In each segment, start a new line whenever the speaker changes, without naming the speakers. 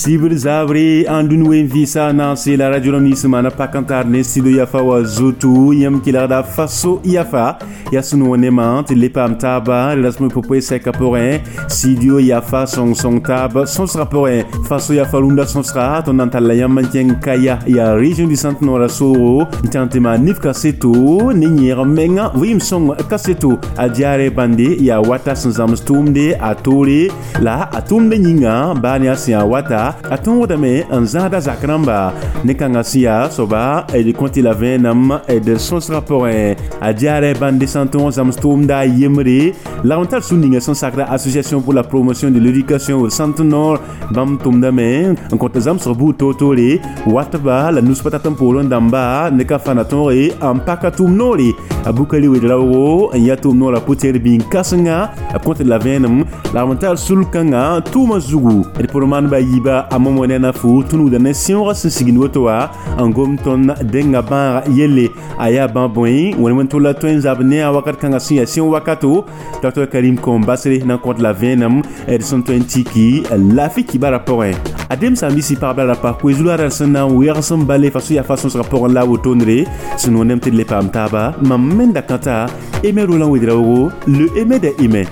Sibr zabre n dũni wen vɩɩsa naase la radio rãmb nins maana pak n tar ne studio yafa wa zutu yãmb kelgda faso yafa yaa sẽn wã nemã tɩ le paam taaba rasem popoe sɛka pʋgẽ studio yafa sõng-sõng taab sõsgã pʋgẽ faso yafa rũndã sõsga tõnd na n talla yãmb n kẽng kaya yaa région du centre nord soogo n tãng tɩ maan nif kaseto ne yẽeg menga vɩɩm sõng kaseto a diaarɛ bãnde yaa wata sẽn zãms tʋʋmde a toore la a tʋʋmdã yĩnga baa ne a sẽn yaa wata a tõodame n zãada zak rãmba ne kãngã sẽn yaa soaba d kõ tɩ la vẽenam d sõsgã pʋgẽ a diaarɛ bãnde sãn tõog zãms tʋʋmda a yembre lagm tar sũ ninga sẽn sakda association pour la promotion de l'éducation au centre nord bãmb tʋmdame n kõt zãmsg buud toor-toore watba la nus pa tat n poorẽ dãmba ne ka fãna tõoge n paka tʋʋm noore a bukari wed-raoogo n yaa tʋʋm noorã pʋ-tẽer bĩn-kãsenga b kõt la vẽenem lagm n tar sul-kãngã tʋʋmã zugu d pʋr maanba yiiba a momo ne na fu tũnugda ne sẽoogã sẽn sigd woto wã n gom tõnd denga bãaga yelle a yaa bã bõe wẽn tʋlla tõe n zab ne a wakat kãngã sẽn yaa sẽo wakato Dr Karim Kombasre na n kõt la vẽenem d sẽn tõe n tiki laafɩ kibara pʋgẽ a dem sãam-biisã pagba ra pa koe-zulara sẽn na n wɛgs n bale faso yaa fa sõsgã pʋgẽ la a wotondre sẽn wẽnem tɩ d le paam taaba mam me da kãta Aimé Roland Ouédraogo, le Aimé des Aimés.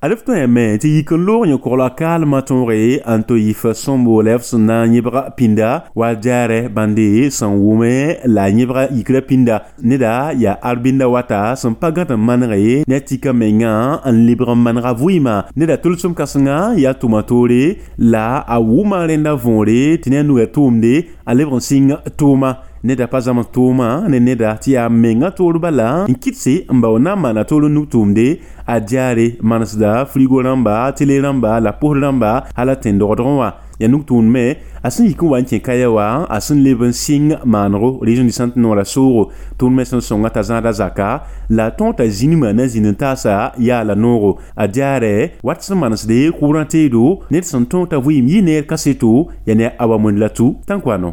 Alf tõe me tɩ yik n loog yẽ-kogla kaalmã tõoge n tɩ yif sõmboolɛ f sẽn na n yẽbga pĩnda wa jaarɛ bãnde sẽn wʋme la yẽbga yikra pĩnda neda yaa arbinda wata sẽn pa gãd n manege ne a tika menga n lebg n manega vɩɩmã neda tʋlsem kãsenga yaa tʋma toore la a wʋma rẽnda võore tɩ ne a nuga tʋʋmde a lebg n sɩng tʋʋma neda pa zãms tʋʋma ne neda tɩ yaa menga toor bala n kɩtse n bao na n maana toor n nug tʋʋmde a diaare manesda frigo rãmba tele rãmba la posd rãmba hala tẽn-dogdgẽ wã yaa nug tʋʋmd me a sẽn yik n wa n kẽ kaya wã a sẽn leb n sɩng maanego région du centre noorã soogo tʋʋmd me sẽn sõnga t'a zãada zaka la a tõog t'a zĩnimã na zĩnd n taasa yaa la noogo a diaarɛ wat sẽn manesde kʋʋrã teedo ned sẽn tõog t'a vɩɩm yɩ neer kaseto yaa ne a wa mõnd la tu tãnkoano.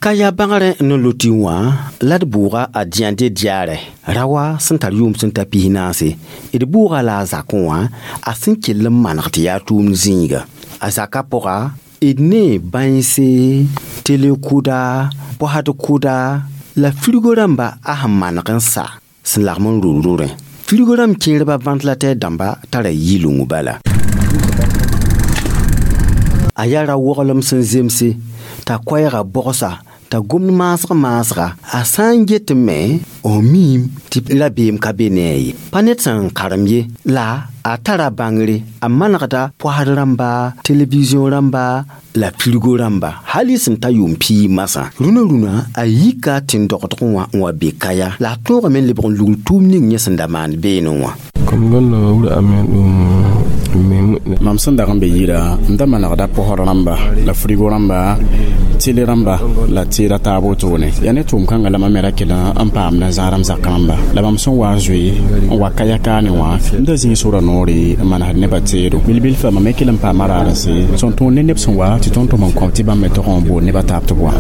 Ka yaa bãgrẽ ne loti wã la d bʋʋga a dĩande diaarɛ rawa sẽn tar yʋʋm sẽn ta pis naase d bʋʋga la a zakẽ wã a sẽn kell n maneg tɩ yaa tʋʋmd zĩiga a zakã pʋga d ne bãense tele-kʋda pɔsd kʋda la frigo rãmba a sẽn maneg n sa sẽn lagm n ror rorẽ frigo rãmb kẽerba ventilateur dãmba tara yɩleng bala a yaa ra-woglem sẽn zemse t'a koɛɛgã bogsa t'a gomd maasg maasga a sã n get me f miime tɩ rabeem ka be ne a ye pa ned sẽn karem ye la a tara bãngre a manegda pɔsd rãmba televiziõ rãmba la frigo rãmba hal y sẽn ta yʋʋm piig masã rũnã rũnã a yika tẽn-dogdgẽ wã n wa be kaya la a tõogame n lebg n lugl tʋʋm ning yẽ sẽn da maan beene wã.
Mam sẽn dag n be yira n da manegda pɔsd rãmba la frigo rãmba tele rãmba la teeda taab wotone yaa ne tʋʋm kãngã la mam me ra kell n paamda zãadam zak rãmba la mam sẽn wa n zoe n wa kaya kaane wã n da zĩig sora noore n manesd nebã teedo bilbil-fa mam me kell n paama raadse sẽn tõog ne neb sẽn wa tɩ tõnd tʋm n kõm tɩ bãmb me tog n bool nebã taab tɩ b wa.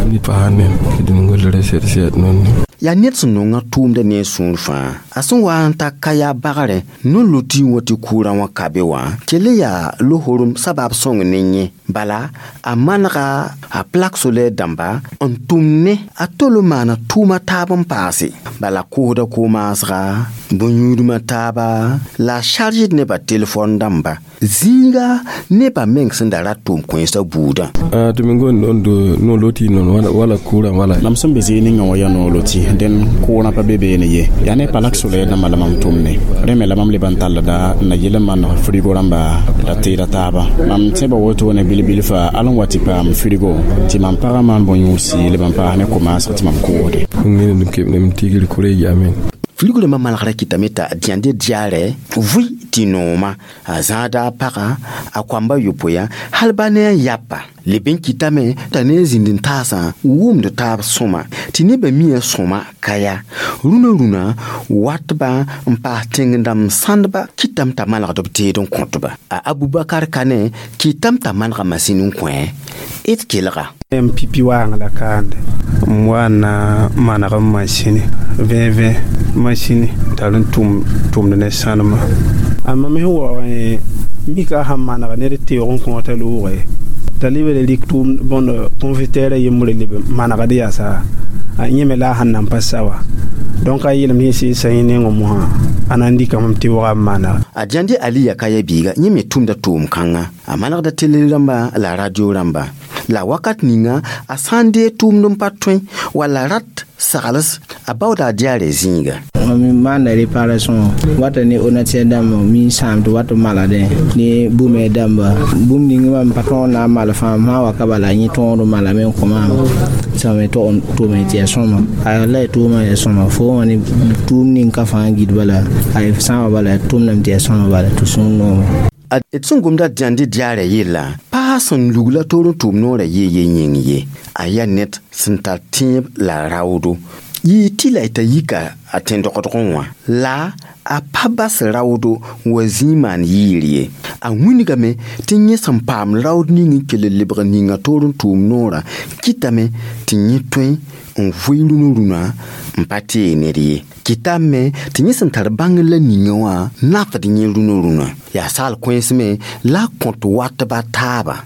Yaa ned sẽn nonga tʋʋmda ne a sũur fãa a sẽn wa n ta ka yaa bagrẽ no-lotɩ wã tɩ kʋʋrã wã ka be wã kell yaa lohorum sabab sõng ne yẽ bala a manega a plak solaire dãmba n tʋm ne a tol n maana tʋʋma taab n paase bala koosda ko-maasga bõn-yũudmã taaba la a charged nebã telefon dãmba zĩiga nebã meng sẽn da rat tʋʋm kõensã buudã.
Mam sẽn be zĩig ninga wã yaa noor loti dẽn kʋʋrã pa be beene ye yaa ne palak solaire dãmbã la mam tʋmne rẽ me la mam leb n tallda n na yɩl n maneg frigo rãmba la teeda taaba mam tẽba wotone bilbil-fa al n wa tɩ paam frigo tɩ mam pagã maan bõn-yũudsi leb n paas ne ko-maasg tɩ mam koosde.
Frigo rãmbã manegda kɩtame t'a dẽande diaarɛ vʋɩ tɩ nooma a zãada a pagã a koamba yopoe hal ba ne a yapa leb n kɩtame t'a ne a zĩnd n taasã wʋmd taab sõma tɩ nebã mia sõma ka ya rũnã rũnã watba n paas tẽng-dãmb sãndba kɩtame t'a manegd b teed n kõtba a Abubakar Kane kɩtame t'a manega masin n kõ d kelga.
M pipi waang la kaande m wa na maneg n masini vẽ masini tar n tʋmd ne sãnema a mam sẽn waoog mika sãn maneg ned teoog n kõota loogre t'a lebd rɩk tʋʋm bõnd confitɛɛrã yembre leb manegd yaasa a yẽ me la a sẽn nan pa sa wa donc a yeelame sẽn sɩɩsa yẽ nengẽ mosã a na n dɩkame tɩ wga n manega.
A Jãnde Ali yaa ka ya biiga yẽ me tʋmda tʋʋm kãnga a manegda tele rãmba la radio rãmba la wakat ninga a sã n dee tʋʋmd n pa tõe walla rat sagls a baooda a diaarɛ zĩiga.
Mam maanda réparation wata ne ordinateur dãmba mi sãam tɩ wat n maladẽ ne bũmb dãmba bũmb ning mam pa tõog na n mal fãa m sã n wa ka bala yẽ tõod n malame n kõ maam sã me tog n tʋme tɩ yaa sõma a la y tʋʋmã yaa sõma fo wã ne tʋʋm ning ka fãa git bala a sã n wa bala tʋmdame tɩ yaa sõma bala tɩ sũur noome.
D sẽn gomda dẽande diaarɛ yella paa sẽn lugla toor n tʋʋm noorã yee ye yĩng ye a yaa ned sẽn tar tẽeb la raoodo yɩɩ tɩ la y t'a yika a tẽn-dogdgẽ wã la a pa bas raoodo n wa zĩig maan yɩɩr ye a wĩnigame tɩ yẽ sẽn paam raood ning n kell n lebg ninga toor n tʋʋm noorã kɩtame tɩ yẽ tõe n vʋɩ rũnã rũnã n pa tee ned ye kɩtame tɩ yẽ sẽn tar bãngr la ninga wã nafd yẽ rũnã rũnã yaa saal kõens me la a kõt watba taaba.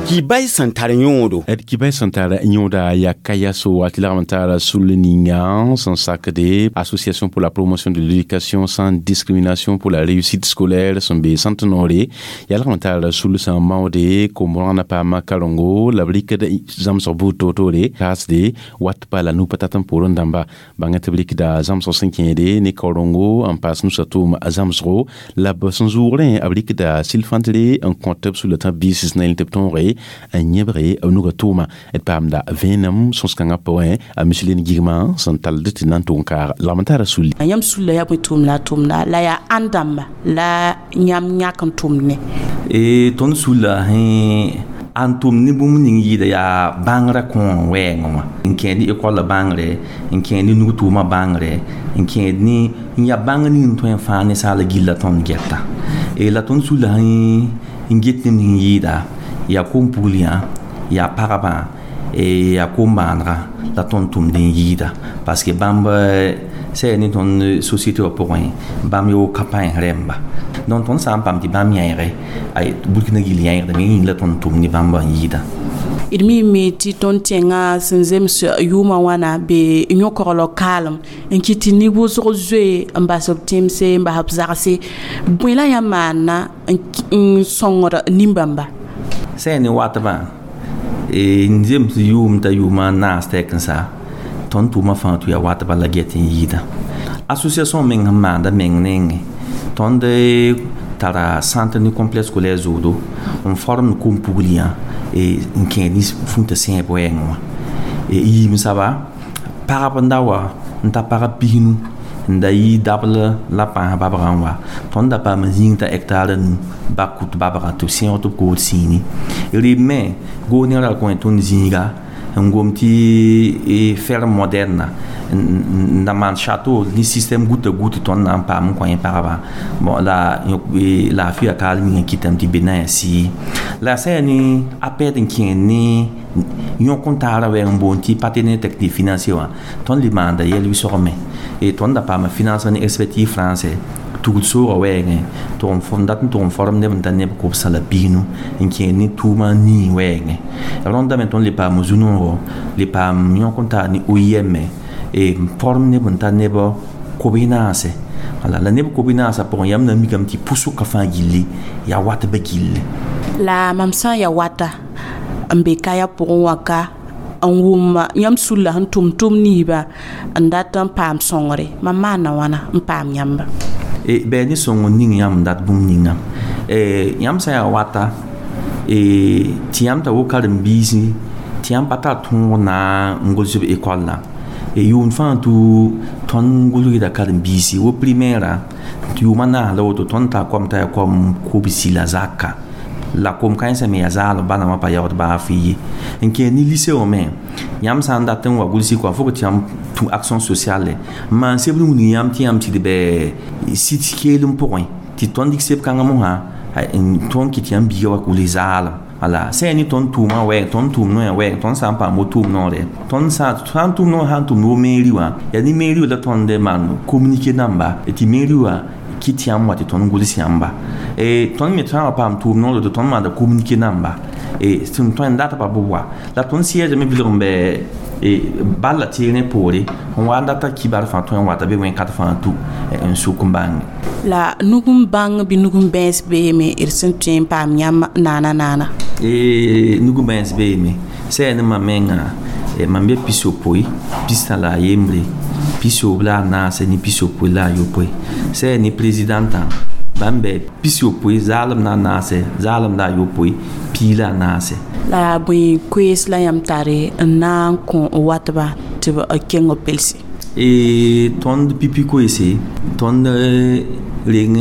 Kibay sẽn tar yõodo.
D kibay sẽn tar yõoda yaa kayaso tɩ lagm n tara sul ninga sẽn sakde Association pour la promotion de l'éducation sans discrimination pour la réussite scolaire sẽn be sãnt noore yaa lagm n tara sul sẽn maoode kom-rãna paama karengo la b rɩkd zãmsg buud toor-toore kaasde wat pa la nu-pa tat n poorẽ dãmba bãnga tɩ b rɩkda zãmsg sẽn kẽede ne kaorengo n paas nusa tʋʋm zãmsgo la b sẽn zʋʋgrẽ b rɩkda silfãntre n kõt b sulã tã biis na tɩ b tõoge n yẽbge b nuga tʋʋma d paamda vẽenem sõs-kãngã pʋgẽ a miselin gigmã sẽn tald tɩ na n tʋg n kaag lagm n tara sulli.
Yãmb sulla yaa bõe tʋʋmda a tʋmda la yaa ãn dãmba la yãmb yãk n tʋmd ne.
Tõnd sulla sẽn an tʋm ne bũmb ning yɩɩda yaa bãngrã kõor wɛɛngẽ wã n kẽed ne ekɔllã bãngre n kẽed ne nug-tʋʋmã bãngre n kẽed ne n yaa bãngr ning n tõe n fãag ninsaala gilla tõnd gɛta la tõnd sulla sẽn n get neb ning yɩɩda yaa kom-pugl yã yaa pagba yaa kom-maanega la tõnd tʋmd n yɩɩda parce que bãmb sã ne tõnd société wã pʋgẽ bãmb yo ka pãens rẽmba donc tõnd sã n paam tɩ bãmb yãeege Burkina gill yãeegdame yĩng la tõnd tʋm ne bãmba n yɩɩda.
D mime tɩ tõnd tẽngã sẽn zems yʋʋmã wãna be yõ-koglg kaalem n kɩt tɩ neb wʋsg zoe n bas b tẽmse n bas b zagse bõe la yãmb maanna n sõngd nin-bãmba.
Sã ne watbã n zems yʋʋm t'a yʋʋmã naas tɛk n sa tõnd tʋʋmã fãa tɩ yaa watba la get n yɩɩda association meng sẽn maanda meng nengẽ tõnd tara centre ne complexe scolaire zoodo n form kom-pugl yã n kẽed ne fũta sẽeb wɛɛngẽ wã yiim saba pagb n da wa n ta pagb pisnu n da yɩ dabl la pãas babgã n wa tõnd da paam n zĩig t'a hectare nu bak kut babga tɩ b sẽog tɩ b kood sĩini rɩb me goos ne ra kõ tõnd zĩiga n gom tɩ ferme moderne n da maan château ne système goutte à goutte tõnd na n paam n kõ yẽ pagba bon la laafɩa kaal ning n kɩtame tɩ be na n sɩɩ la sã yaa ne a pɛd n kẽed ne yõk n taara wɛɛng n boond tɩ partenaire technique financier wã tõnd le maanda yɛl wɩsgme tõnd da paama financement ne expertise français tugl soogã wɛɛngẽ dat n tʋg n form neb n ta neb kobsã la pisnu n kẽed ne tʋʋmã nii wɛɛngẽ rõndame tõnd le paam zu-noogo le paam yõk n taar ne OIM n form neb n ta neb kob naase wala la neb kob naasã pʋgẽ yãmb na n mikame tɩ pʋsʋka fãa gilli yaa watbã gilli.
La mam sã n yaa wata n be kaya pʋgẽ wã ka n wʋm yãmb sulla sẽn tʋm tʋm niibã n dat n paam sõngre mam maana wãna n paam yãmba.
Bɩ ne sõng n ning yãmb n dat bũmb ninga yãmb sã n yaa wata tɩ yãmb t'a wo karen-biisi Tɩ yãmb pa tar tõog na n gʋls b école la yʋʋm fãa tɩ tõnd gʋlgda karen-biisi wo primaire tɩ yʋʋma naas la woto tõnd tar kom t'a yaa kom kobsi la zaka la kom kãensã me yaa zaalem bãna wã pa yaood baa fɩ ye n kẽer ne lycée wã me yãmb sã n dat n wa gʋlsɩ kɔa fo tɩ yãmb tũ action sociale n maan sebr wilg yãmb tɩ yãmb tɩ d bɛ sit keelem pʋgẽ tɩ tõnd dɩk seb kãngã mosã n tõnd kɩ tɩ yãmb biiga wa gʋls zaalem. Wala sã yaa ne tõnd tʋʋmã wɛɛg, tõnd tʋʋm noyã wɛɛg, tõnd sã n paam wo-tʋʋm noore, tõnd sã n tʋʋm noor sã n tʋmd wo mairie wã, yaa ne mairie wã la tõnd maan communiqué namba tɩ mairie wã kɩt yãmb wa tɩ tõnd gʋls yãmba. Tõnd me sã n wa paam tʋʋm noor tɩ tõnd maanda communiqué namba sẽn tõe n datba bɩ wa la tõnd siège me bilg n bɛ bal la teerẽ poore n wa n data kibar fãa tõe n wata bɩ wẽn-kat fãa tu n sʋk n bãnge.
La nug n bãng bɩ nug n bãens beeme d sẽn tõe n paam yãmb naana naana?
Nug n bãens beeme sã yaa ne mam menga mam be pisopoe pistã la a yembre pisoob la a naase ne pisopoe la a yopoe sã yaa ne présidentã bãmb bɛ pisopoe zaalem la a naase zaalem la a yopoe pii la a naase.
La bõe koees la yãmb tare n na n kõ watba tɩ b keng b pelse?
Tõnd pipi koeese tõnd reng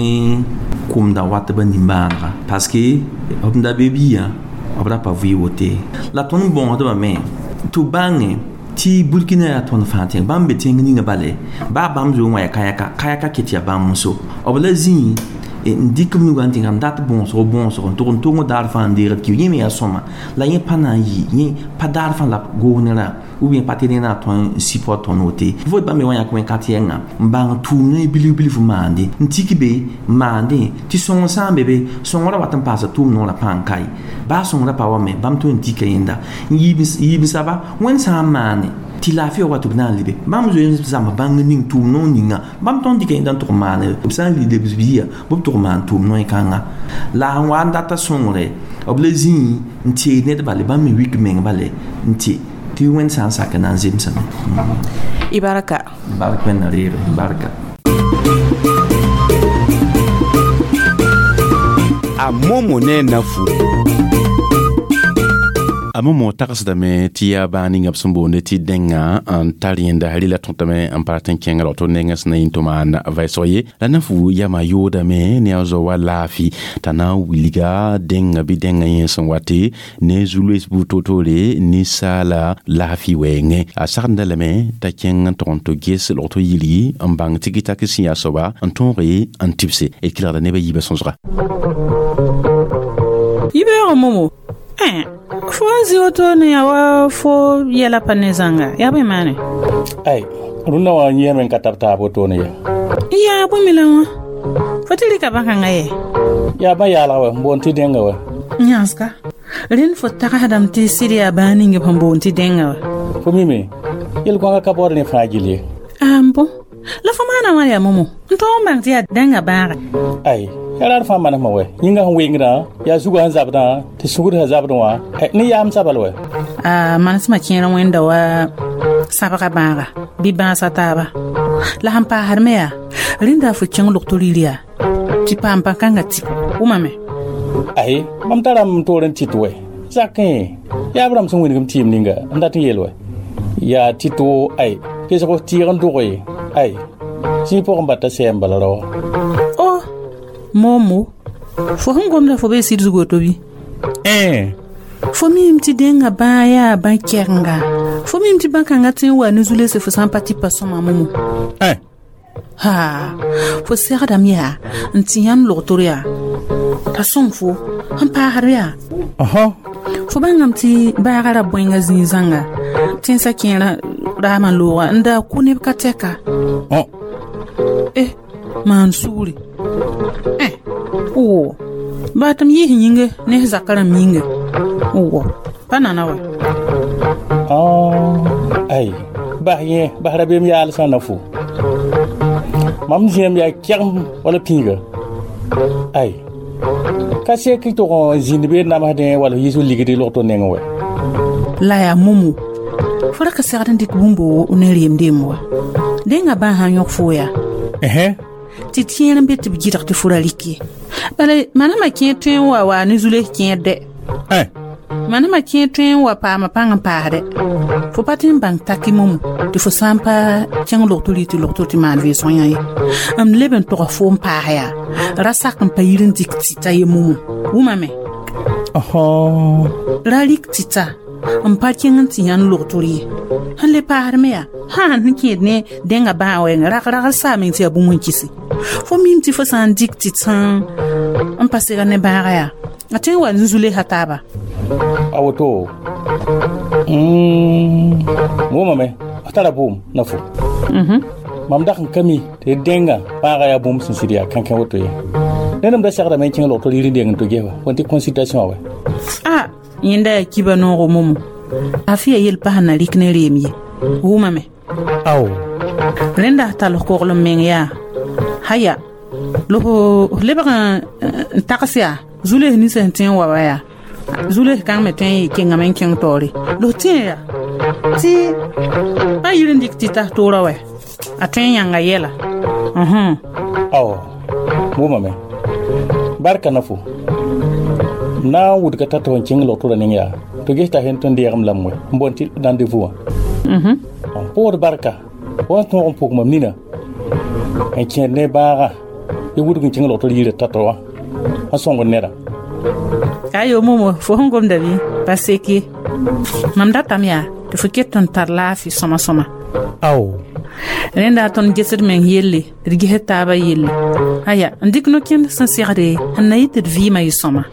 kʋmda watbã nimbãanega parce que b da be biã b ra pa vɩ wote la tõnd bõosdbã me tɩ b bãnge tɩ Burkina yaa tõnd fãa tẽng bãmb be tẽng ninga bale baa bãmb zoe wã yaa kayaka kayaka ket yaa bãmb n so b la zĩig n dɩk b nugã n tɩ n dat bõosg bõosg n tʋg n tong daar fãa n deegd ki yẽ me yaa sõma la yẽ pa na n yɩ yẽ pa daar fãa la goosnerã ou bien pa tɩ rẽ na tõe n support tõnd wote vot bãmb me wã yãk wẽn-kat yɛnga n bãng tʋʋm ne bilf bilf maande n tik be maandẽ tɩ sõng sã n be be sõngrã wat n paasa tʋʋm noorã pãa n kae baa sõngrã pa wa me bãmb tõe n tika yẽnda n yiib saba wẽnd sã n maane tɩ laafɩ wa tɩ b na n lebe bãmb zoe n zãms bãng ning tʋʋm noor ninga bãmb tõnd dɩka yẽnda n tʋg n maane b sã n lebs biiga bɩ b tʋg n maan tʋʋm noe kãnga la n wa n data sõngre b la zĩig n teed ned bale bãmb me wik meng bale n tɩ tɩ wẽnd sã n sak na n zemsame.
Y barka.
Bark wẽnna reere barka.
A momo ne nafu.
A momo tagsdame tɩ yaa baa ninga b sẽn boonde tɩ dẽnga n tar yẽnda rɩla tõtame n pa rat n kẽnga rao tɩ nengã sẽn na yĩn tɩ maan vɛɛsg ye la nafu yama yoodame ne a zao wa laafɩ t'a na n wilga dẽnga bɩ dẽnga yẽ sẽn wate ne zu-loees buud toor-toore ninsaala laafɩ wɛɛngẽ a sagenda lame t'a kẽng n tʋg n tɩ ges log tɩ yilgi n bãng tɩ gɩtak sẽn yaa soaba n tõoge n tɩbse d kelgda neb a yiibã sõsga.
Yibeoogã momo fo n zĩ woto ne yaa wa fo yɛla pa ne zãnga yaa bõe maane?
Ai rũndã wã yẽeme n ka tab taab wotone ye.
Yaa bõe me la wã fo tɩ rɩka bãn-kãngã ye?
Yaa bã yaalga wɛ n boond tɩ dẽnga wɛ.
Yãsga rẽnd fo tagsdame tɩ sɩd yaa bãag ning b sẽn boond tɩ dẽnga wã.
Fo mime yel-gõagã ka baood rẽ fãa gill ye.
An bõ la fo maana wã yaa momo n tõog n bãng tɩ yaa dẽnga bãaga.
Ai yaa raar fãa manesmã wɛ yĩngã sẽn wengdã yaa zugã sẽn zabdã tɩ sugd sẽn zabdẽ wã ne yaam sabal wɛ.
A manesmã kẽer wẽnda wa sãbga bãaga bɩ bãasa taaba la sẽn paasd me yaa rẽnda fo kẽng log-to rɩr yaa tɩ paam pãn-kãngã tɩ wʋmame.
Ai mam tarame n toor n tɩt wɛ zakẽ yaa b rãmb sẽn wĩnigm tɩɩm ninga n dat n yeel wɛ yaa tɩ-to ai kesg tɩɩg n dʋge ai zĩig pʋgẽ bata sɛɛm bala rao.
O momo fo sẽn gomda fo bee sɩd zug woto bɩ? Fo miime tɩ dẽnga bãag yaa bã-kɛrenga fo miime tɩ bã-kãngã tõe n wa ne zu-lese fo sã n pa tɩ pa sõma momo. Ha fo segdame yaa n tɩ yãmb log-tor yaa t'a sõng fo n paasd yaa fo bãngame tɩ baagã ra bõenga zĩig zãnga tẽnsã kẽerã raamã looga n daa kʋ neb ka tɛka maan sugri wo baa tɩ m yiis yĩnge ne f zakã rãmb yĩnga wo pa nana wa.
Ai bas yẽ bas rabeem yaal sã na fo mam zĩam yaa kɛgem wala pĩiga ai ka sek tʋg n zĩnd bee namsdẽ wala yiis ligd log to nengẽ wɛ.
La yaa momo fo ra ka segd n dɩk bũmb ne reemdeem wa dẽnga bãag sã n yõk fo yaa tɩ tẽer n be tɩ b gɩdg tɩ fo ra rɩk ye bala manama kẽer tõe n wa waa ne zu-les kẽer dɛ. Manema kẽ tõe n wa paama pãng n paasdɛ. Fo pa tɩ n bãng taki momo tɩ fo sã n pa kẽng logtr tɩ logtr tɩ maan vɩɩsg yã ye. M leb n tog fo n paas yaa ra sak n pa yir n dɩk tɩta ye momo. Wʋmame. Ra rɩk tɩta n pa kẽng n tɩ yãnd logtr ye. Sẽn le paasd me yaa sã n kẽed ne dẽnga bãag wɛɛngã rag-ragl saa meng tɩ yaa bũmb n kɩse. Fo mim tɩ fo sã n dɩk tɩ n pa sega ne bãaga yaa a tõe n wa n zulesa taaba.
A woto wʋmame f tara bʋʋm na fo. Mam dag n ka mi tɩ dẽnga bãaga yaa bũmb sẽn sɩd yaa kãnkẽ woto ye. Ned m da segdame n kẽng logtr yir n deng n to gesa wẽn tɩ consultation wã wɛ.
A yẽnda yaa kiba noogo momo. A fɩ ya yel pa sẽn na rɩk ne reem ye. Wʋmame.
Ao.
Rẽnda s tall koglem meng yaa haya la f lebg n tags yaa zules nins sẽn tõe n wa wa yaa zules kãng me tõe n yɩ kengame n kẽng taoore la f tẽe yaa tɩ pa yir n dɩk tɩ tas toorã wɛ a tõe n yãnga yɛla.
Ao wʋmame barka na fo na n wudga t'a tɩ n kẽng logtorã ning yaa tɩ ges t'a sẽn tõe n deegem lame wɛ n boond tɩ rendez-vous wã. Pʋgd barka wa n tõog n pʋg mam nina n kẽed ne bãaga y wudg n kẽng logtr yirã tata wã n sõngd neda.
Ayo momo fo sẽn gomda bɩ pa sek ye. Mam datame yaa tɩ fo ket n tar laafɩ sõma sõma.
Ao.
Rẽnda tõnd gesd meng yelle tɩ d gesd taabã yelle. Aya n dɩk no-kẽnd sẽn segde n na yɩ tɩ d vɩɩmã yɩ sõma.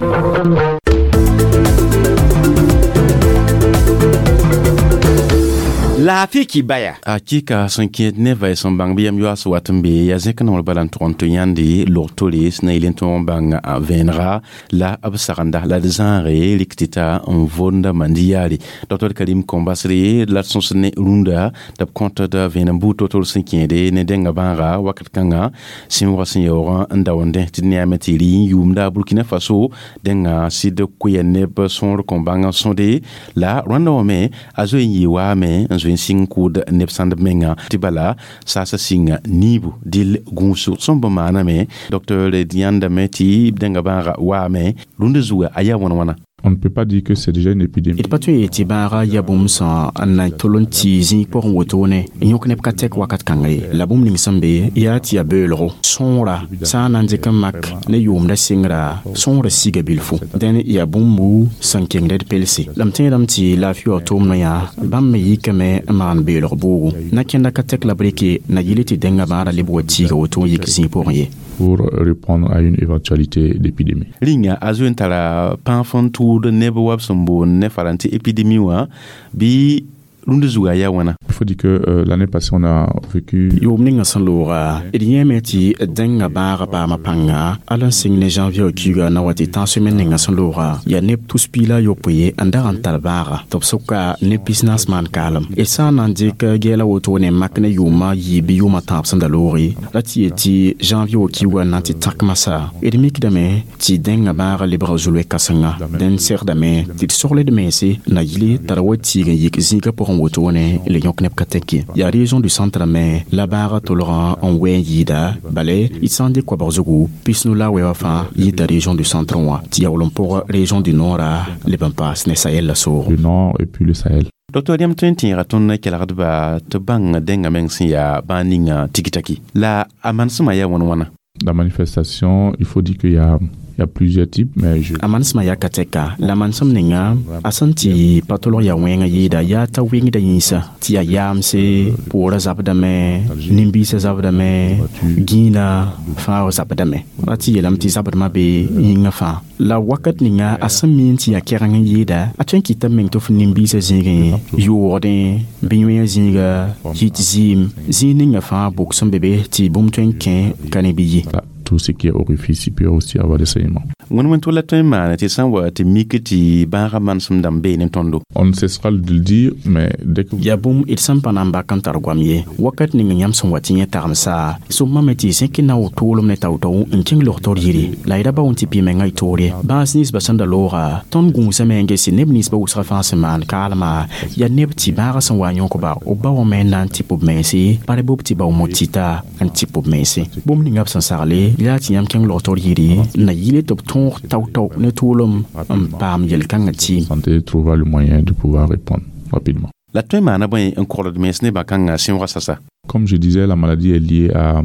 Laafɩ kibaya.
Hakika sẽn kẽed ne va sẽn bãng bɩ yam yoaas wat n be yaa zẽk nongr bala n tʋg n tɩ yãnde log-tore sẽn na yel n tõog n bãng a vẽenega la b sagenda la d zãage rɩk tɩ ta n vonda mandi yaare. Dr Karim Kɔmbasre la d sõsd ne rũndã tɩ b kõt d vẽenem buud to-tor sẽn kẽede ne dẽnga bãaga wakat kãnga sẽn-wʋg sẽn yaoog n daoondẽ tɩ d neame tɩ rɩ n yʋʋmda Burkina Faso dẽnga sɩd koya neb sõor kõn bãng sõde la rwanda wã me a zoe n yɩ waame n zoe n sɩng kʋʋd neb sãndb menga tɩ bala saasa sɩnga niibu dɩl gũusg sẽn bõ maaname. Docteur d yãndame tɩ dẽnga bãaga waame rũndã zuga a yaa wãn-wãna.
On ne peut pas dire que c'est déjà une épidémie.
D pa tõe n yetɩ bãaga yaa bũmb sã n na tol n tɩ zĩig pʋgẽ wotone n yõk neb ka tɛk wakat kãnga ye. La bũmb ning sẽn be yaa tɩ yaa beoolgo sõora sã n na n dɩk n mak ne yʋʋmda sɩngra sõora siga bilfu dẽn yaa bũmbu sẽn kengd d pelse. La m tẽedame tɩ laafɩ wã tʋʋmdã yã bãmb me yikame n maan beoolg bʋʋgo na kẽnda ka tɛk la b rɩke na yɩl tɩ dẽnga bãada leb wa tiiga woto n yik zĩig pʋgẽ ye.
Pour répondre à une éventualité d'épidémie.
Rĩnga a zoe n tara pãaf n tʋʋd neb wa b sẽn boond ne farãntɩ épidémie wã bɩ rũndã zuga yaa wãna.
Il faut dire que l'année passée on a vécu
yʋʋm ninga sẽn looga d yẽeme tɩ dẽnga bãaga paama pãnga ala n sɩng ne janvier kiuga na wa tɩ tãn-semaine ninga sẽn looga yaa neb tus piila a yopoe n dag n tar bãaga tɩ b sʋka ne pisnaas maan kaalem. D sã n na n dɩk gɛɛla wotone n mak ne yʋʋmã yiib bɩ yʋʋmã tãab sẽn da looge la tɩ yet tɩ janvier kiuga n na n tɩ tãk masã d mikdame tɩ dẽnga bãaga lebga zu-loe-kãsenga dẽn segdame tɩ d sogled mense na yɩle t'a ra wa tiig n yik zĩigã pʋgẽ wotone le yõk neb ka tɛk ye. Yaa région du centre me la bãaga tolgã n wɛ n yɩɩda bale d sã n dɩk koabg zugu pisnu la wɛ wã fãa yita région du centre wã tɩ yaool n pʋg région du nord leb n paas ne Sahel la soogo.
Le nord et puis le Sahel.
Docteur yãmb tõe n tẽega tõnd kelgdba tɩ bãng dẽnga meng sẽn yaa bãag ninga tiki-taki la a manesmã yaa wãn-wãna.
La manifestation, il faut dire qu'il y a Il y a plusieurs types, mais je...
A manesmã yaa ka tɛka la manesem ninga a sẽn tɩ pa tolg yaa wẽngã yɩɩda yaa t'a wɩngda yĩnsa tɩ yaa yaamse poorã zabdame nin-biisã zabdame gĩinã fãa zabdame ra tɩ yeelame tɩ zabdmã be yĩngã fãa la wakat ninga a sẽn mi n tɩ yaa kɛgeng n yɩɩda a tõe n kɩta meng tɩ f nin-biisã zĩigẽ yʋʋgdẽ bɩ yõe zĩiga yit zɩɩm zĩig ninga fãa bʋk sẽn be be tɩ bũmb tõe n kẽ ka ne bɩ ye.
Tout ce qui est orifice, il peut aussi avoir des saignements.
Wẽn wẽn la tõe n maane tɩ sã n wa tɩ mik tɩ bãagã manesem dãmb bee ne tõndo.
On ne cessera de le dire, mais dès que
yaa bũmb d sẽn pa na n bak n tar goam ye wakat ning yãmb sẽn wa tɩ yẽ tagmsa sõmame tɩ zẽk na w tʋʋlem ne tao-tao n kẽng logtr yiri la y ra ba wẽn tɩ pɩ menga y toor ye bãas ninsbã sẽn da looga tõnd gũusame n gese neb ninsbã wʋsga fãa sẽn maan kaalma yaa neb tɩ bãagã sẽn wa n yõkba b ba wã me n na n tɩp b mense pa re b tɩ ba w mo tɩta n tɩp b mense bũmb ninga b sẽn sagle Yaa tɩ yãmb kẽng log-taoor yiri n na yɩle tɩ b tõog tao-tao ne tʋʋlem n paam yel-kãngã tɩɩm.
Santé trouvera le moyen de pouvoir répondre rapidement.
La tõe n maana bõe n kogld mens ne bã-kãngã sẽoogã sasa?
Comme je disais, la maladie est liée à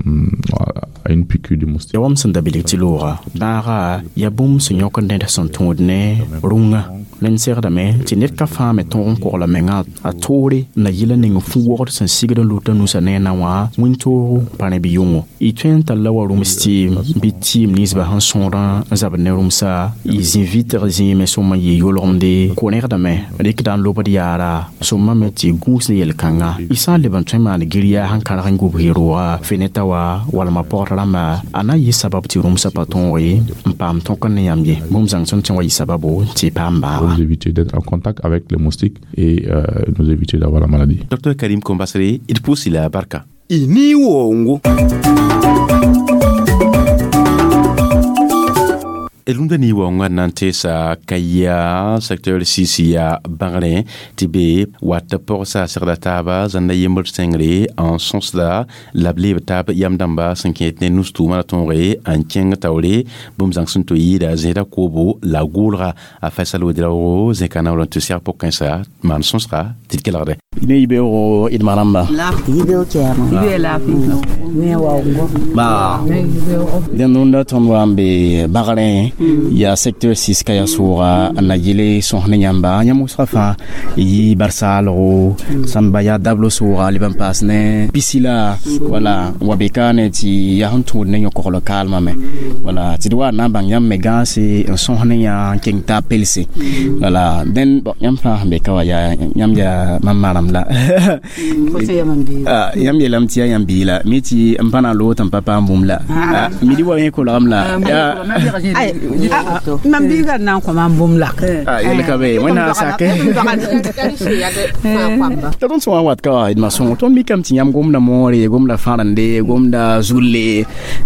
une piqûre de moustique.
Ya wam sẽn da bilg tɩ looga bãaga yaa bũmb sẽn yõk ned sẽn tõod ne rũngã. Rẽnd segdame tɩ ned ka fãa me tõog n kogla menga a toore na yɩla ning fu-wogd sẽn sigd n luta nusa ne na wã wĩntoogo pa rẽ bɩ yʋngo. Y tõe n talla wa rũms tɩɩm bɩ tɩɩm ninsbã sẽn sõor n zabd ne rũmsa y zĩ vɩtg zĩime sõma n yɩ yolgemde ko-rẽgdame rɩkda n lobd yaara sõma me tɩ gũus ne yel-kãnga. Y sã n leb n tõe n maan gir-yaa sẽn kãrg n gub rooga feneta wa walma pɔgd rãmba a na n yɩ sabab tɩ rũmsã pa tõoge n paam tõk n ne yãmb ye. Bũmb zãng sẽn tõe wa yɩ sababo tɩ y paam bãaga.
Nous éviter d'être en contact avec les moustiques et nous éviter d'avoir la maladie.
Dr Karim Kombasere, il pousse la barka.
Ini wongo.
Rũndã ni waoongã na n teesa ka-yaa secteur 6 yaa bãgrẽ tɩ be wat pɔgsa segda taaba zãnda yembr sẽngre n sõsda la b leeb taab yam dãmba sẽn kẽet ne nus-tʋʋmã la tõoge n kẽng taoore bũmb zãng sẽn to yɩɩda zẽeda koobo la gʋʋlga a Faisal Ouedraogo zẽka naoor n tɩ sɛg pʋg-kãensa maan sõsga tɩ d kelgde.
Ne yibeoogo d ma rãmba. Ba dẽnd rũndã tõnd wa n be bagrẽ yaa secteur 6 ka yaa sʋʋga n na yɩle sõs ne yãmba. Yãmb wʋsga fãa yɩ barsaalgo sãn ba yaa dablo sʋʋga leb n paas ne pisila wala n wa be kaane tɩ yaa sẽn tũud ne yõ-kogl kaalmã me wala tɩ d wa n na n bãng yãmb me gãase n sõs ne yã n keng taab pelse wala dẽnd yãmb fãa sẽn be ka wa yaa yãmb yaa mam maram la yãmb yeelame tɩ yaa yãmb bii la mi tɩ n pa na n loog tɩ n pa paam bũmb la midi wa yẽ kolgame la
mam biiga n na n kõ mam bũmb la
yel ka be wẽnnaam sake t'a tõnd sẽn wa n wat ka wa d ma sõngo tõnd mikame tɩ yãmb gomda moore gomda fãrende gomda zulle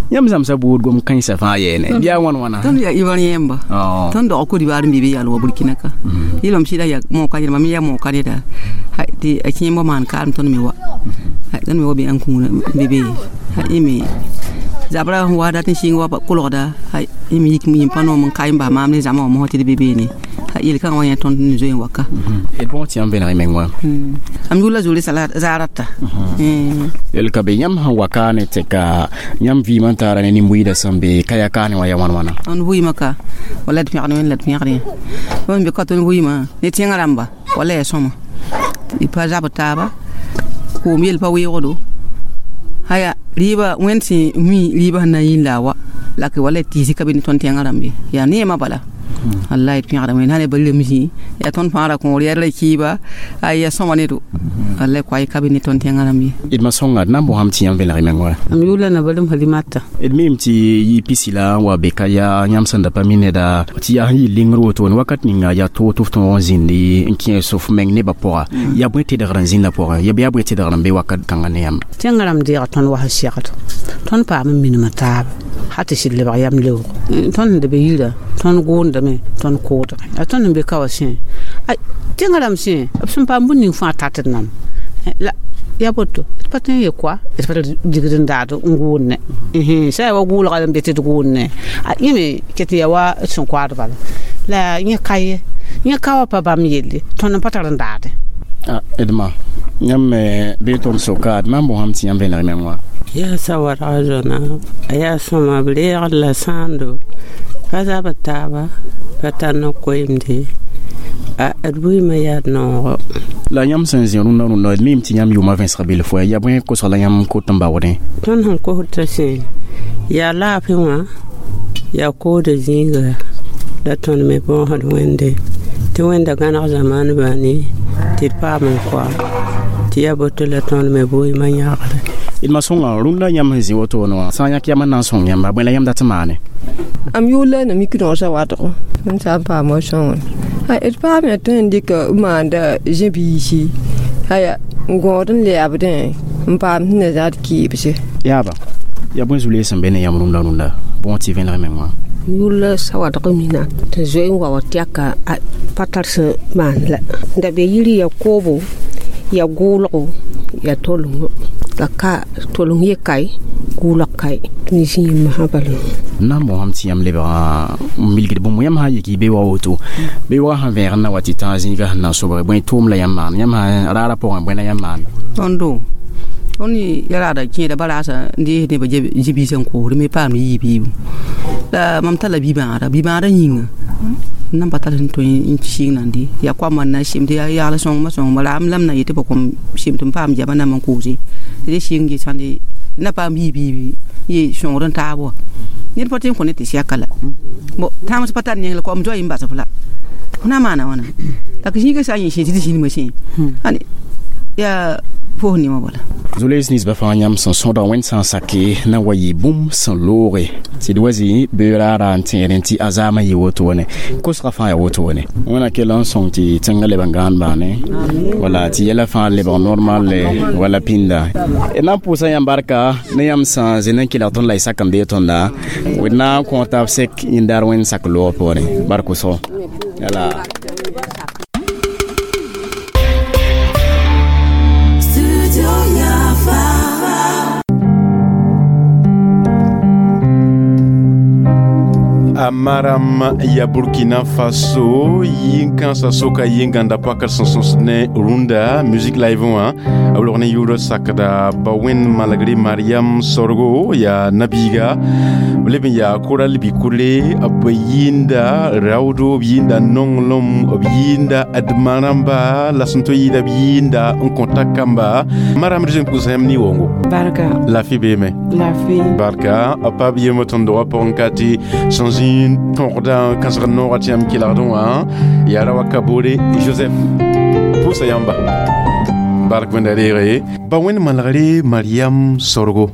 yãmb zãmsa buud gom kãensã fãa yɛɛne bɩ yaa wãn wãna
tõnd yaa ivoirien yẽmba tõnd dog Côte d'Ivoire n be be yaal wa Burkina ka yɩlame sɩda yaa moka yẽlma me yaa moka neda tɩ a kẽembã maan kaam tõnd me wa tõnd me wa be ãn-kũuna be be yẽ zabra sẽn wa dat n sɩng wa kolgda yẽ me yik yĩm pa noom n ka n bas maam ne zãma wã mosã tɩ d be beene yel-kãngã wã yẽ tõnd n zoe n wa ka.
D bõog tɩ yãmb vẽneg y meng wã.
Am yʋlla zoore zaarata.
Yel ka be yãmb sẽn wa kaane tɩ ka yãmb vɩɩmã n taara ne nin-buiidã sẽn be ka yaa kaane wã yaa wãn wãna.
Tõnd vɩɩmã ka wala d pẽgd wẽnd la d pẽgd yã. Tõnd be ka tõnd vɩɩmã ne tẽngã rãmba wala yaa sõma. Y pa zabd taaba koom yel pa weoogdo haya rɩɩba wẽnd sẽn mi rɩɩbã sẽn na n yĩn la a wa la k wala tɩɩsɩ ka be ne tõnd tẽngã rãmb ye yaa neemã bala wallahi d pẽgda wẽnd sã ne ba rem zĩ yaa tõnd fãagra kõor yaa ra kɩɩba ay yaa sõma ne do wallahi koay ka be ne tõnd tẽngã rãmb ye.
D ma sõnga d na n bosame tɩ yãmb vẽneg y meng wa.
Am yʋʋla na ba rem Halimata.
D miime tɩ yɩ pisila n wa be ka yaa yãmb sẽn da pa mi neda tɩ yaa sẽn yɩ lengr wotone wakat ninga yaa toog tɩ f tõog n zĩndi n kẽes f meng nebã pʋga yaa bõe tedgr n zĩndã pʋgẽ yaa bɩ yaa bõe tedgr n be wakat kãngã ne yãmb.
Tẽngã rãmb deega tõnd wa sẽn segd tõnd paam n minimã taaba ha tɩ sɩd lebg yam leoogo tõnd sẽn da be yirã tõnd gʋʋndame tõnd koodgẽ a tõnd sẽn be ka wã sẽ tẽngã rãmb sẽ b sẽn paam bũmb ning fãa tat d nam la yaa boto d pa tõe n ye koa d pa digd n daad n gʋʋnne sã yaa wa gʋʋlga n be tɩ d gʋʋnne yẽ me ket n yaa wa d sẽn koaad bala la yẽ ka ye yẽ ka wa pa bãmb yelle tõnd n pa tar n daade.
Edma yãmb me bee tõnd soka d maam bosame tɩ yãmb vẽneg y meng wã.
Yaa sawadga zõna a yaa sõma b reegd la sãando pa zabd taaba pa tar ne koeemde d bʋɩɩmã yaa d noogo.
La yãmb sẽn zĩ rũndã rũndã d miime tɩ yãmb yʋʋmã vẽnsg bilf wɛ yaa bõe kosg la yãmb kot n baoodẽ.
Tõnd sẽn kosd t'a sẽ yaa laafɩ wã yaa kooda zĩiga la tõnd me bõosd wẽnde tɩ wẽnda gãneg zamaanbã ne tɩ d paam n koa tɩ yaa boto la tõnd me bʋɩɩmã yãgre.
D ma sõnga rũndã yãmb sẽn zĩ wotone wã sã n yãk yam n na n sõng yãmba bõe la yãmb dat n maane.
Am yʋʋla na mik rõosã watgo n sã n paam wa sõngr d paam yaa tõe n dɩka n maanda zẽ-biisi aya n gõod n lɛɛbdẽ n paam sẽn na zãad kɩɩbse.
Yaaba yaa bõe zu-lees sẽn be ne yãmb rũndã rũndã bõog tɩ vẽneg meng wã.
Yʋʋla sawadg mina tɩ zoe n wa wa tɛka pa tar sẽn maan la da be yiri yaa koobo yaa gʋʋlgo yaa tolengõ la ka toleng ye kae Kʋʋlg kae tɩ zĩig masã bala.
Na n bõsam tɩ yãmb lebg n milgd bũmb yãmb sã n yik y be wa woto bɩ wa sẽn vẽeg n na wa tɩ tã zĩigã sẽn na n sobge bõe tʋʋm la yãmb maan yãmb sã raarã pʋgẽ bõe la yãmb maan?
Tõndo tõnd ya raada kẽeda baraasã n dees nebã zĩ-biisã n koosd me paam yiib yiibu la mam talla bi-bãada bi-bãada yĩnga n nan pa tar sẽn tõe n sɩng nande yaa koamã n na n sem tɩ yaa yagl sõngmã sõngmã la am la m na yetɩ b kõm sem tɩ m paam jabã nam n koose tɩ d sɩng ge sãnde na paam yiib yiibi ye sõngd n taab wa ned pa tõe n kõ ne tɩ sɛka la bo tãams pa tar neng la koam zoa n bas f la f na maana wãna la zĩigã sã n yẽ sẽ tɩ d zĩnimã sẽ ane yaa fos newã bala.
Zolees ninsbã fãa yãmb sẽn sõdg wẽnd sã n sake na wa yɩ bũmb sẽn looge tɩ d wa zĩ beoog raara n tẽedẽ tɩ a zaamã yɩ wotone kosgã fãa yaa wotone wẽna kell n sõng tɩ tẽngã leb n gãand baane wala tɩ yɛla fãa lebg normal wala pĩnda d na n pʋʋsa yãmb barka ne yãmb sã n zĩ n kelg tõnd la y sak n bee tõnda d na n kõ taab sek yĩndaar wẽnd sak loogã poorẽ bark wʋsgo yala.
A maram ya Burkina Faso yĩn-kãensã soka yĩngãnda pakr sẽn sõs ne rũndã musique live wã b log ne yʋʋr sakda ba wẽnd malgre Mariam Sorgo ya nabiiga b leb n yaa koral bi-kʋre b yɩɩnda raoodo b yɩɩnda nonglem b yɩɩnda adma rãmba la sẽn tõe yɩɩda b yɩɩnda n kõta kamba maram rɩ pʋʋsa yãmb ne-wongo.
Barka.
Lafi beeme.
Lafi.
Barka b pa b yem tõnd dogã pʋgẽ ka tɩ sẽn zĩ tõgda kãsg noogã tɩ yãmb kelgdẽ wã yaa ra wa Kabore Joseph pʋʋsa yãmba bark wẽnda reege ba wẽnd malgre Mariam Sorgo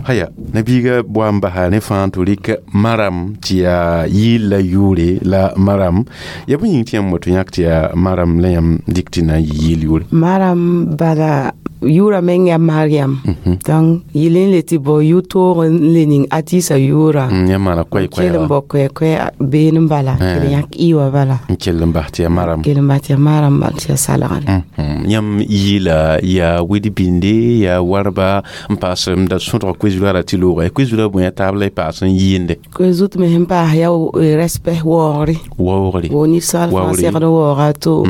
haya nabiiga boa n basa ne fãa tɩ rɩk maram tɩ yaa yɩɩl la yʋʋre la maram ya bõe yĩng tɩ yãmb woto yãk tɩ yaa maram la yãmb dɩk tɩ na n yɩ yɩɩl yʋʋre?
Maram bala yʋʋra meng yaa Mariam donc yɩl n le tɩ bao yʋ-toog n le ning a tɩɩsa yʋʋra.
Yãmb maana koɛɛ-koɛɛga.
Kell n bao koɛɛ-koɛɛ been n bala kell yãk ɩ wã bala.
N kell n bas tɩ yaa maram.
Kell n bas tɩ yaa maram bal tɩ yaa salgre.
Yãmb yɩɩla yaa wed-binde yaa warba n paas n da sõdg koe-zulã ra tɩ loogã koe-zulã bõe a taab la y paas n yɩɩnde?
Koe-zut me sẽn paas yaa respect waoogre.
Waoogre.
Wo ninsal fãa segd waooga to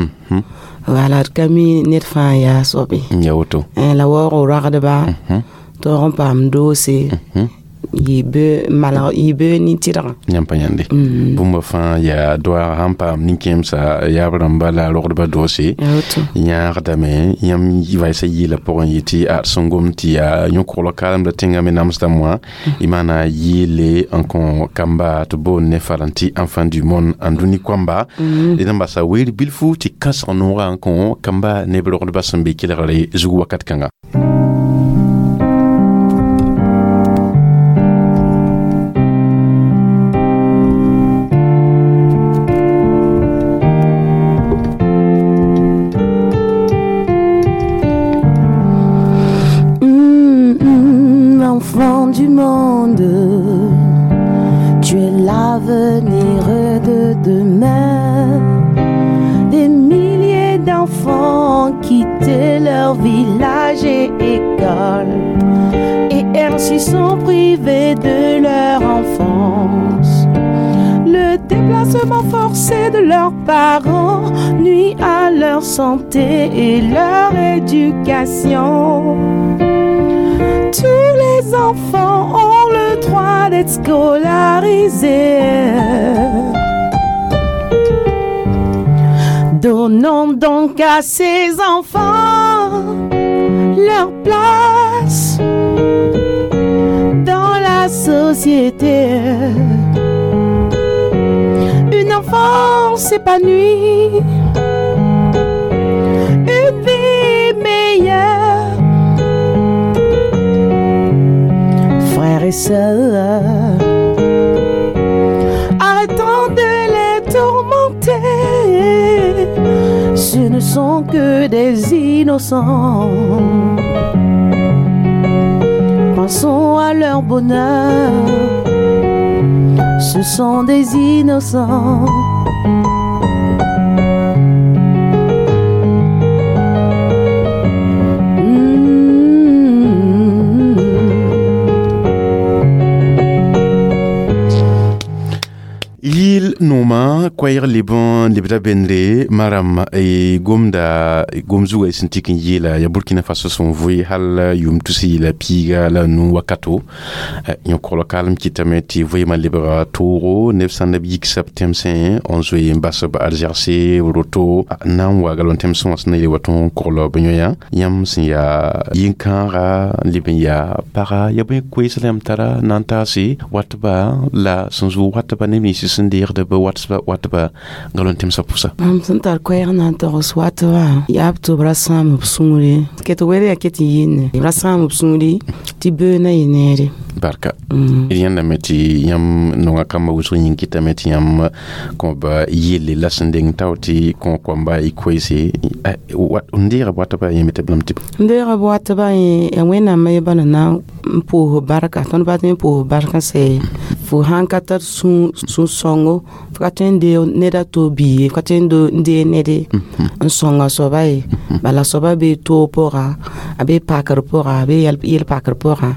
wala d ka mi ned fãa yaa soabe.
Ya woto.
La waoog ragdba toog n paam doose yɩ malg yɩ bee nin-tɩdgã.
Yãmb pa yãnde bũmba fãa yaa doaag sãn paam nin-kẽemsa yaab rãmba la rogdba doose yãagdame yãmb vaɩsã yɩɩla pʋgẽ yɩ tɩ a sẽn gom tɩ yaa yõ-koglg kaalemda tẽngã me namsdame wã y maana yɩɩle n kõ kamba tɩ boond ne farã tɩ enfant du monde n dũni koamba d n basa weer bilfu tɩ kãsg noogã n kõ kamba neb rogdba sẽn be kelgre zug wakat kãnga.
Enfant du monde, tu es l'avenir de demain. Des milliers d'enfants ont quitté leur village et école et ainsi sont privés de leur enfance. Le déplacement forcé de leurs parents nuit à leur santé et leur éducation. Tous les enfants ont le droit d'être scolarisés. Donnons donc à ces enfants leur place dans la société. Une enfance épanouie, une vie meilleure. Frères et sœurs, arrêtons de les tourmenter. Ce ne sont que des innocents. Pensons à leur bonheur. Ce sont des innocents.
Nooma koɛɛg leb n lebda bendre maram gomda gom zuga sẽn tɩk n yeela ya Burkina Faso sẽn vʋɩ hal yʋʋm tus yeela piiga la nu wakato. Yõ-koglɔ kaalem kɩtame tɩ vɩɩmã lebga toogo neb sã n b yiksa b tẽmsẽ n zoe n bas b arzɛgse roto n na n wa galon tẽmsẽ wã sẽn na yeel wa tõog n kogl b yõ-yã yãmb sẽn yaa yĩn-kãaga n leb n yaa paga ya bõe koees la yãmb tara na n taase watba la sẽn zʋʋg watba neb nins sẽn deegd b watba galon tẽmsã pʋsa.
Mam sẽn tar koɛɛg na n togs watba yaa b tɩ b ra sãam b sũure ket wɛr yaa ket n yɩnne b ra sãam b sũure tɩ bee na yɩ neere.
Barka, d yãndame tɩ yãmb nonga kambã wʋsg yĩng kɩtame tɩ yãmb kõba yelle la sẽn deng tao tɩ kõ koamba y koeese n deega b watba yẽme tɩ b lame tɩ
n deega b watba yẽ ya Wẽnnaam ye bala na n pʋʋs barka. Tõnd pa tõe n pʋʋs barka sɛ fo sãn ka tar sũ-sõngo, fo ka tõe n deeg ned a to bii ye, fo ka tõe n deeg ned n sõnga soaba ye. Bala soaba bee toog pʋga, a bee pakr pʋga, a bee yel-pakr pʋga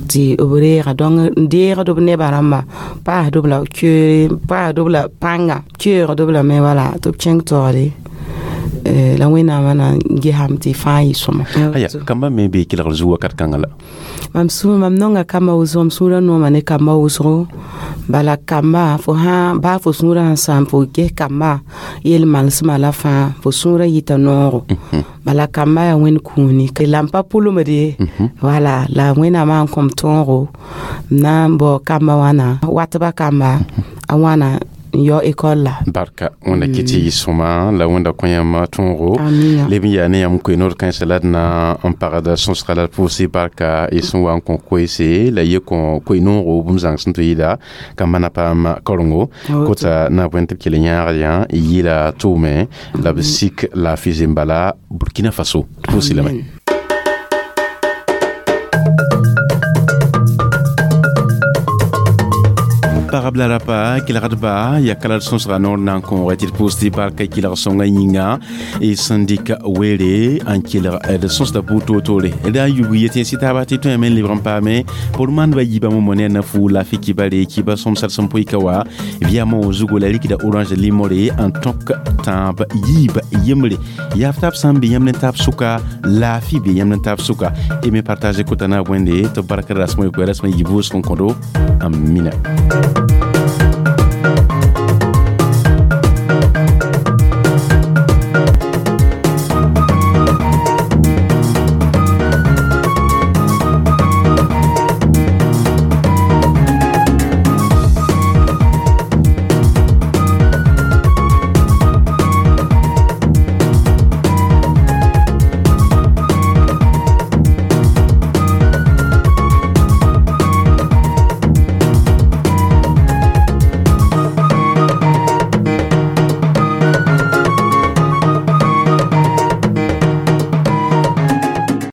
tɩ b reega. Donc n deegd b nebã rãmba, paasd b la keoore, paasd b la pãnga, keoogd b lame wala tɩ b kẽng taoore la Wẽnnaamã na n gesame tɩ fãa yɩ sõma.
Aya, kambã me bee kelgr zug wakat kãngã la?
Mam sũur, mam nonga kamba wʋsgo, m sũurã nooma ne kamba wʋsgo. Bala kamba fo sã baa fo sũurã sẽn sãam, fo ges kamba yel-malsmã la fãa fo sũurã yita noogo. Bala kamba yaa Wẽnd kũuni la n pa pʋlmd ye. Wala la Wẽnnaamã n kõm tõogo m na n bao kamba wãna watba kamba a wãna n yao ekɔl la.
Barka, Wẽnda kɩ tɩ yɩ sõma la Wẽnda kõ yãmb tõogo.
Amina.
Leb n yaa ne yãmb koe-noor kãensã la d na n pagd sõsga la d pʋʋse barka y sẽn wa n kõ koeese la ye kõ koe-noogo bũmb zãng sẽn tɩ yɩla kambã na paam karengo kota na bõe tɩ b kell yãagd yã yɩla tʋʋme la b sik laafɩ zembala Burkina Faso tɩ pʋʋse lame. Pagb la rapa kelgdba ya kala d sõsga noor na n kõoga tɩ d pʋʋs tɩ barka kelg sõnga yĩnga y sẽn dɩk weere n kelg d sõsda buud toor-toore d a yubg yetẽ sɩ taaba tɩ tõe me n lebg n paame pour mandba yiibã momo ne a na fu laafɩ kibare kiba sõmsd sẽn pʋɩka wa vɩyamõ zugo la rikda orange limore n tõk tãab yiib yembre yaaf taab sã n be yãmb ne taab sʋka laafɩ be yãmb ne taab sʋka y me partage kota na a bõende tɩ b barka rasmã yokoe rasmã yib wʋsg n kõdo. Amina.